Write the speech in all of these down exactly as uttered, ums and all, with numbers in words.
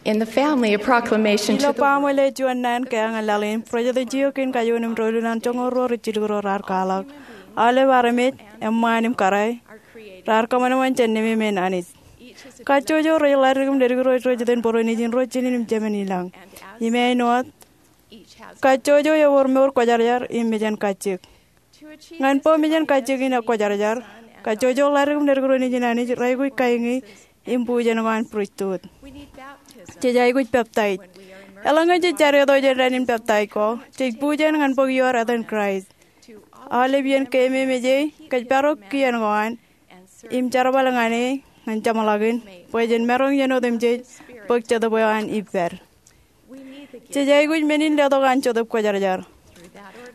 In the family, a proclamation Ilo to the baaṃle juon naan keañ ñan laḷ in, President Chiyoke in Kajuon im doulul an joñoul ruo rijjilkuro raar kwaḷọk: Aolep armej eṃṃaan im kōrā raar kōṃanṃan jān nemāmein Anij. Kajjojo rej ḷaddik im leddik ro rej jitōnbōro nejin ro jinen im jemān ilañ. Im āinwōt, kajjojo ewōr mour kwōjarjar im mejān kajjik. Ñan bwe mejān kajjik in ekwōjarjar, kajjojo ḷaddik im leddik ro nejin Anij rej aikuj kaingi im bujen ko an pristut. Jej aikuj peptaij. Eḷaññe jej jadeeto jān dān in peptaij ko, jej bujen ñan bōk ioer etan Kraist. Aolep iien keememej e, kōjparok kien ko an im jerbal ñan e ñan jeṃḷọkin, bwe jen maroñ iien otemjej bōk Jetōb eo an ippād. Jej aikuj men in letok an Jetōb Kwōjarjar.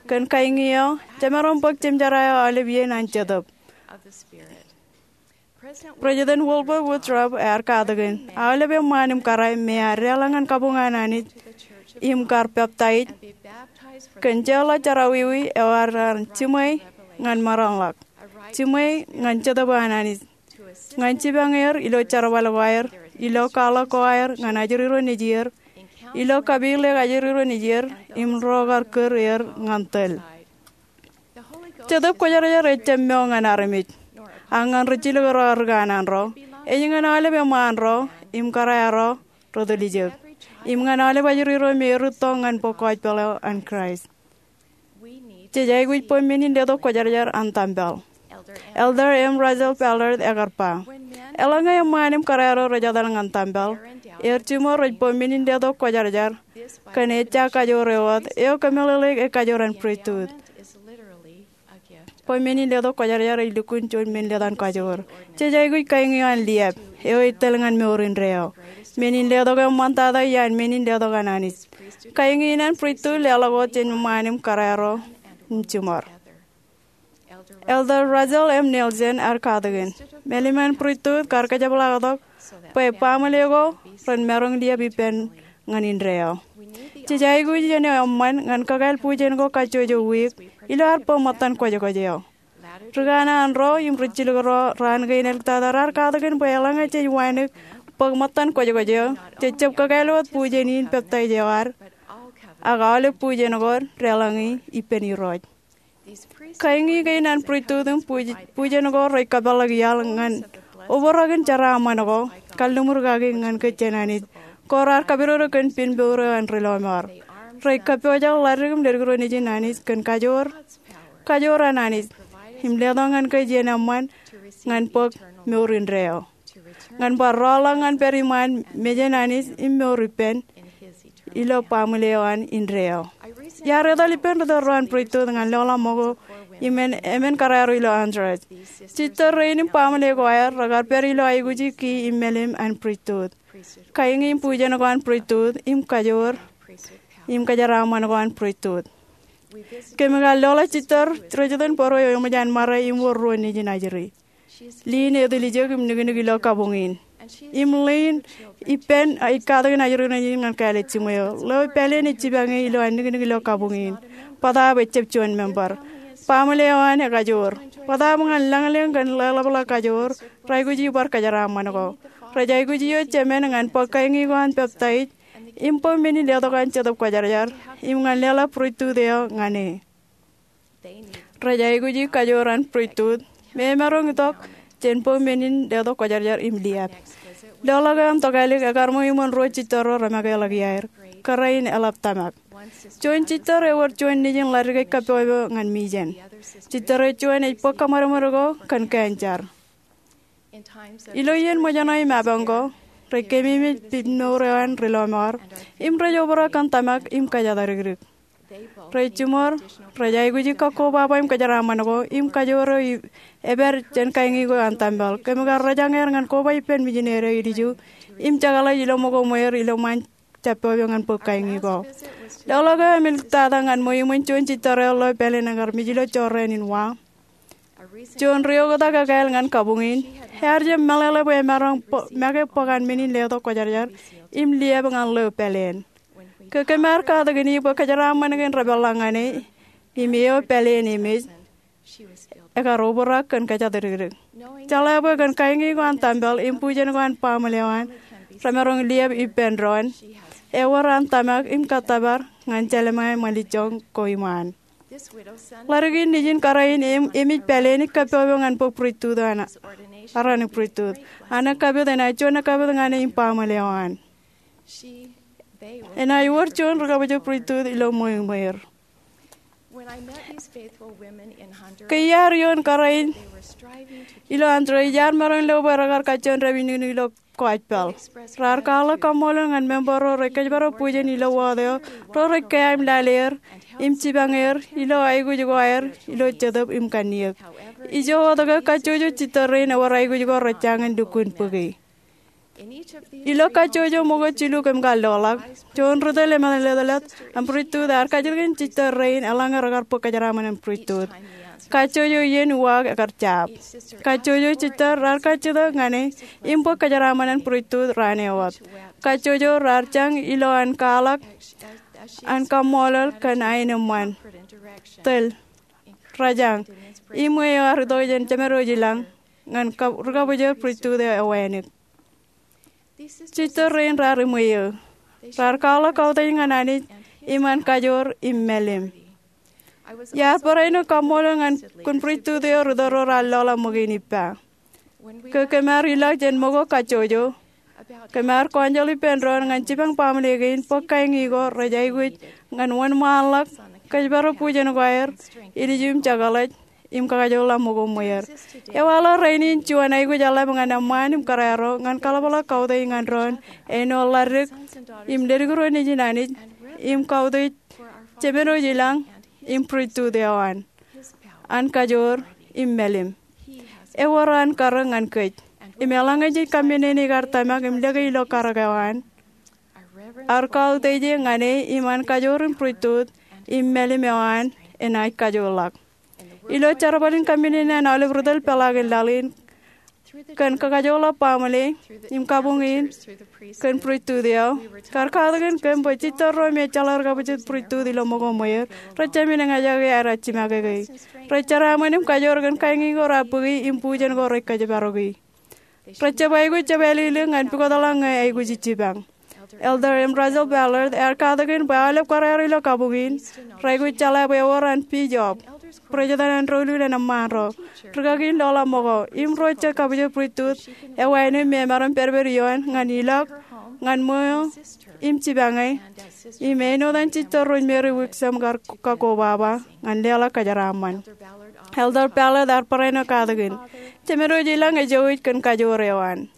Kōn kaingi eo, jemaroñ bōk jemjerā eo aolep iien an Jetōb. President Wilbur Woodruff ear katakin, aolep eṃṃaan im kōrā me ear deḷọñ ñan kabuñ an Anij im kar peptaij kōn jeorḷọk jerọwiwi eo ear jiṃwe ñan maroñḷọk, jiṃwe ñan Jetōb eo an Anij, ñan jipañ er ilo jerbal ko aer, ilo kwaḷọk ko aer ñan ajri ro nejier, ilo kapilōk ajri ro nejier, im ro kar kūr er ñan tōl. Jetōb Kwōjarjar ejjab mo ñan armej, ak ñan rijjilōk ro ri kanaan ro. Ej ñan aolep eṃṃaan ro im kōrā ro ri tiljek, im ñan aolep ajri ro me erūtto ñan bōk gospel eo an Kraist. Jej aikuj bwe men in letok kwōjarjar an tempel. Elder M. Russell Ballard ekar ba, eḷaññe eṃṃaan im kōrā ro rej etal ñan tempel, er jiṃor rej bwe men in letok kwōjarjar kōn ejja kajoor eo wōt eo kōmeḷeḷeik ekajoor an pristut. Bwe men in letok kwōjarjar ej lukkuun juon men letok an kajoor. Jej aikuj kaingi eo an liab, eo ej tōl ñan mour indeeo. Men in letok eo eṃṃantata iaan men in letok an Anij. Kaingi in an pristut leḷọk wōt jān eṃṃaan im kōrā ro im jiṃor. Elder Russell M. Nelson ear katakin, mālim an pristut kar kōjepḷaaktok bwe baaṃle ko ren maroñ liab ippān ñan indeeo. Jej aikuj iien eo eṃṃan ñan kakāāl bujen ko kajjojo wiik ilo ad bōk ṃōttan kwōjkwōj eo. Ri kanaan ro im rijjilōk ro raan kein āliktata raar katakin bwe eḷaññe jej wānōk bōk ṃōttan kwōjkwōj eo, jej jab kakāāl wōt bujen in peptaij eo ad, ak aolep bujen ko deḷọñe ippān Irooj. Kaingi kein an pristut im buj-, bujen ko rej kōpeḷḷọk iaḷ ñan obrak in jeraaṃṃan ko, kalliṃur kaki ñan kōj jān Anij, ko raar kapidodo kōn pen mour eo an ri lọmọọr. Rej kappojak ḷaddik im leddik ro nejin Anij kōn kajoor, kajoor an Anij, im letok ñan kōj iien eṃṃan ñan bōk mour indeeo. Ñan bar rọọlḷọk ñan pād iṃaan mejān Anij im mour ippān ilo baaṃle eo an indeeo. Iar etal ippān ri tōl ro an pristut ñan lọḷọk ṃōko im emān kōrā ro ilo Honduras. Jitōl rein im baaṃle ko aer rekar pād ilo aikuji ki im mālim an pristut, kaingi im bujen ko an pristut, im kajoor im kajeraaṃṃan ko an pristut. Kōmij kar lọḷọk jitōl ro jitōnbōro eo eṃōj an ṃare im wōr ruo nejin ajri. Lynn eo etiljek im niknik ilo kabuñ in. Im Lynn ippān ej katakin ajri ro nejin ñan kāālōt jiṃwe eo. Ḷeo pāleen ej jipañ e ilo an niknik ilo kabuñ in. Bōtaab ejjab juon member. Baaṃle eo an ekajoor. Bōtaab ñan lañlōñ kōn leḷapḷọk kajoor, rej aikuji bar kajeraaṃṃan ko. Rej aikuji eo jemān ñan bōk kaingi ko an peptaij im bwe men in letok an Jetōb Kwōjarjar im ñan leḷọk pristut eo ñan e. Rej aikuji kajoor an pristut me emaroñ itok jān bwe men in letok kwōjarjar im liab. Lọḷọk eo an tokālik ekar ṃōj iṃōn ruo jitōl ro remākeḷọk iaer. Kōrā in eḷap tōmak. Juon jitōl ewōr juon nejin ḷaddik ej kappọpọ ñan mijen. Jitōl eo juon ej bōk kōṃadṃōd ko kōn cancer. Ilo iien ṃōjṇọ im apañ ko, rej keememej pen mour eo an ri lọmọọr im rej obrak kōn tōmak im kōjatdikdik. Rej jiṃor, rej aikuji kakkobaba im kajeraaṃṃan ko im kajoor eo epād jān kaingi ko an tempel. Kōmij kar rojañ er ñan koba ippān mijineri eo ilju im jekḷaj ilo ṃōko ṃweer ilo ṃaan jab pepe ñan bōk kaingi ko. Lọḷọk eo emāliktata ñan ṃōj iṃōn juon jitōl eo ḷeo pāleen ekar mej ilo jorrāān in wa. Juon ri-oktak ekāāl ñan kabuñ in. Ear jab meḷeḷe bwe emaroñ make bōk an men in letok kwōjarjar im liab ñan ḷeo pāleen. Ke kōm ar katakin e bwe kajeraaṃṃan kein repeḷḷọk ñan e im eo pāleen emej, ekar obrak kōn kōjatdikdik. Jeḷā bwe kōn kaingi ko an tempel im bujen ko an baaṃle eo an, remaroñ liōb ippān doon. Ewōr an tōmak im kōttōpar ñan Jelemaia Ṃalijjoñ ko iṃaan. Ḷadik in nejin kōrā in im, emej pāleen ikkappopo ñan bōk priesthood eo an, aran priesthood. An ekkapit enaaj juon ekkapit ñan e im baaṃle eo an. Enaaj wōr juon ri-kabwejak priesthood ilo ṃweiṃweir. Ke iar ioon kōrā in ilo Honduras, iar maroñ lo bwe rekar kajjioñ dāpij nuknuk ilo gospel. Raar kwaḷọk kaṃṃoolol ñan member ro rej kōjparok bujen ilo wōt eo, ro rej kea im lale er im jipañ er ilo aikuj ko aer ilo jetōb im kanniōk. Ijo wōt ke kajjojo jitter rein ewōr aikuj ko rej jañin lukkuun bōki. Ilo kajjojo ṃōko jilu kōm kar loḷọk, juon ri tōl eṃṃan leḷḷọk an priesthood ear kajjitōk kōn jitter rein eḷaññe rekar bōk kōjeraaṃṃan an priesthood. Kajjojo iien uwaak ekar jab. Kajjojo jitter raar kajjitōk ñan e im bōk kōjeraaṃṃan an priesthood raan eo wōt. Kajjojo raar jañ ilo an kwaḷọk an kaṃṃoolol kōn aenōṃṃan, tōl, rōjañ, im eo ear itok jān Jemed Wōj ilañ ñan ka-, ri-kabwejak priesthood eo ewānōk. Jitter rein raar iṃwe eō. Raar kwaḷọk kautiej ñan Anij im an kajoor im mālim. Iar barāinwōt kaṃṃoolol ñan kōn priesthood eo ri tōl ro raar loḷọk ṃōk in ippa. Ke kōm ar ilọk jān ṃōko kajjojo, kōm ar kọọnjeḷ ippān doon ñan jipañ baaṃle kein bōk kañin ko rej aikuj ñan wōnṃaanḷọk kōjparok bujen ko aer, ilju im jekḷaj, im kakajoorḷọk ṃōko ṃweer. Ewaḷọk rainin juon aikuj eḷap ñan eṃṃaan im kōrā ro ñan kaḷapḷọk kautiej ñan doon āinwōt ḷadik im ledik ro nejin Anij im kautiej Jemed Wōj ilañ im priesthood eo an, an kajoor im mālim. Ewōr an karōk ñan kōj. Im eḷaññe jej kaminene ikar tōmak im lōke ilo karōk eo an, ar kautiej ñan e im an kajoor im priesthood im mālim eo an enaaj kajoorḷọk. Ilo jerbal in kaminene an aolep ri tōl peḷaakin laḷ in, kōn kakajoorḷọk baaṃle im kabuñ in kōn priesthood eo, kar katakin kōm bwe jitter ro im ejjeḷọk ri-kabwejak priesthood ilo ṃōko ṃweer, rej jāmin eñjake aer jimakeke. Rej jeraaṃṃan im kajoor kōn kañin ko raar bōki im bujen ko rej kōjparoki. Rej jab aikuj jab ālilik ñan pukotḷọk ñe aikuj ij jipañ. Elder M. Russell Ballard ear katakin bwe aolep kōrā ro ilo kabuñ in, raikuj jeḷā bwe ewōr an bishop, president an doulul an eṃṃaan ro, rūkaki in loḷọk ṃōko, im ro jet kabwejak priesthood eo āinwōt me emaroñ pedped ioon ñan ilọk ñan ṃweo im jipañe, im āinwōt an jitter ro ej Mary Wixom kar kakkobaba ñan leḷọk kōjeraaṃṃan. Elder Ballard ear barāinwōt katakin, Jemed Wōj ilañ ej jouj kōn kajoor eo an.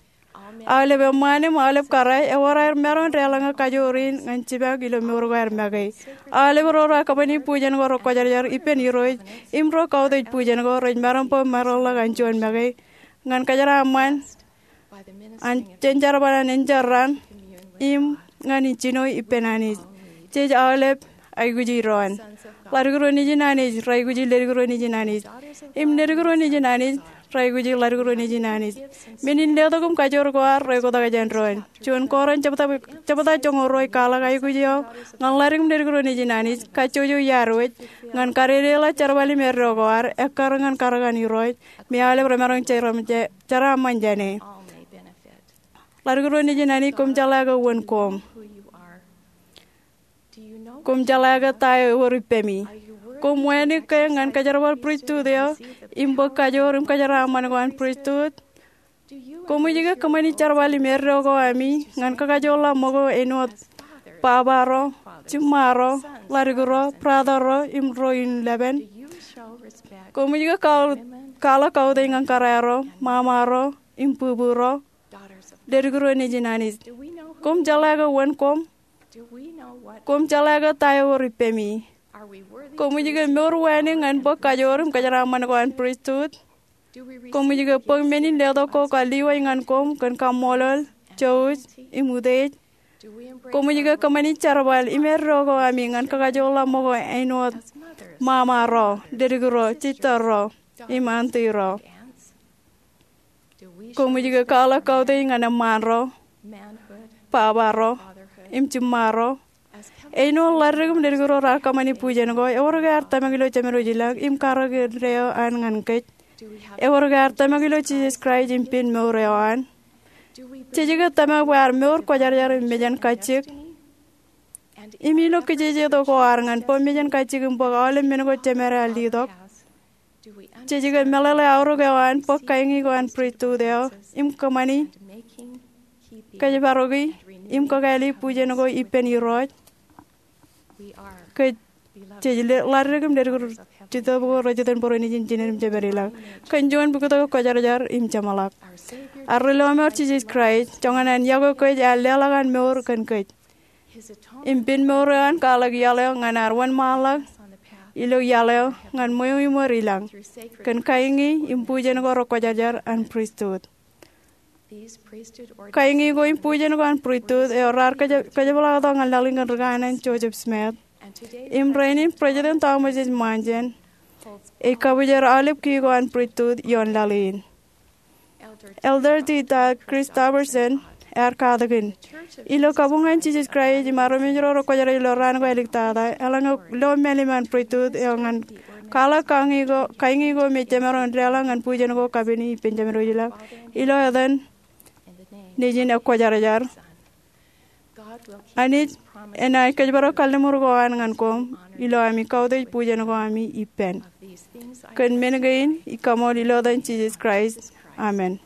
Aolep eṃṃaan im aolep kōrā ewōr aer maroñ deḷọñe kajoor in ñan jipañ ilo mour ko aer make. Aolep ro raar kōṃṃani bujen ko rekwōjarjar ippān Irooj im ro kautiej bujen ko rej maroñ bwe maroñḷọk an juon make ñan kōjeraaṃṃan an jen jerbal an enjeḷ raṇ im ñan ijjino ippān Anij. Jej aolep aikuji doon. Ḷadik ro nejin Anij raikuji ledik ro nejin Anij. Im ledik ro nejin Anij raikuji ḷadik ro nejin Anij. Men in letok im kajoor ko ad rekwotak jān doon. Juon Korint jebta, jebta joñoul ruo ej kwaḷọk aikuj eo ñan ḷadik im ledik ro nejin Anij, kajjojo iaar wōj, ñan kadedeḷọk jerbal im eddo ko ad, ekkar ñan karōk an Irooj, me aolep remaroñ jeraṃ, je-, jeraaṃṃan jāne. Ḷadik ro nejin Anij, koṃ jeḷā ke wōn koṃ. Koṃ jeḷā ke ta eo ewōr ippemi. Koṃ wānōk ke ñan kōjerbal pristut eo, im bōk kajoor im kōjeraaṃṃan ko an pristut. Koṃij ke kōṃṃani jerbal im eddo ko ami ñan kakajoorḷọk ṃōko āinwōt baba ro, jiṃṃa ro, ḷadik ro, brother ro, im ro in lepen? Koṃij ke kwaḷ-, kwaḷọk kautiej ñan kōrā ro, ṃaṃa ro, im bubu ro, ledik ro nejin Anij? Koṃ jeḷā ke wōn koṃ? Koṃ jeḷā ke ta eo ewōr ippemi? Koṃij ke mour wānōk ñan bōk kajoor im kōjeraaṃṃan ko an pristut? Koṃij ke bōk men in letok ko kar lewōj ñan koṃ kōn kaṃṃoolol, jouj, im utiej? Koṃij ke kōṃṃani jerbal im eddo ko ami ñan kakajoorḷọk ṃōko āinwōt ṃaṃa ro, ledik ro, jitter ro, im auntie ro? Koṃij ke kwaḷọk kautiej ñan eṃṃaan ro, baba ro, im jiṃṃa ro, āinwōt ḷadik im ledik ro raar kōṃṃani bujen ko? Ewōr ke ear tōmak ilo Jemed Wōj ilañ im karōk eo an ñan kōj? Ewōr ke ear tōmak ilo Jisōs Kraist im pen mour eo an? Jej ke tōmak bwe ad mour kwōjarjar im mejān kajjik? Im ilo kijeje tok ko ad ñan bwe mejān kajjik im bōk aolep men ko jemād ear letok, jej ke meḷeḷe aorōk eo an bōk kañiñe ko an pristut eo im kōṃṃani, kōjparoki, im kakāāli bujen ko ippān Irooj? Kōj, jej ḷaddik im ledik ri-, Jetōb ko rej jitōnbōro Nejin, Jined im Jemād ilañ. Kōn juon bukwi tok kwōjarjar im jeṃḷọk. Ad Rilọmọọr Jisōs Kraist, joñan an yokwe kōj, ear leḷọk an mour kōn kōj. Im pen mour eo an kwaḷọk iaḷ eo ñan ad wōnṃaanḷọk ilo iaḷ eo ñan ṃweo im wōr ilañ kōn kañiñe im bujen ko rekwōjarjar an pristut. Kañiñe ko im bujen ko an pristut eo raar kōjepḷaaktok ñan laḷ in kōn ri kaanan Joseph Smith. Im rainin President Thomas S. Monson ej kabwijer aolep kiiō ko an pristut ioon laḷ in. Elder T. Todd Christofferson ear katakin, ilo kabuñ an Jisōs Kraist im armej ro rekwōjarjar ilo raan ko āliktata, eḷaññe lo mālim an pristut eo ñan kwaḷọk kañiñe ko me jemaroñ in leḷọk ñan bujen ko kapen ippān Jemād wōj ilañ, ilo etan Nejin ekwōjarjar, Anij enaaj kōjparok kalliṃur ko an ñan koṃ ilo ami kautiej bujen ko ami ippān. Kōn men kein ij kaṃool ilo etan Jisōs Kraist, amen.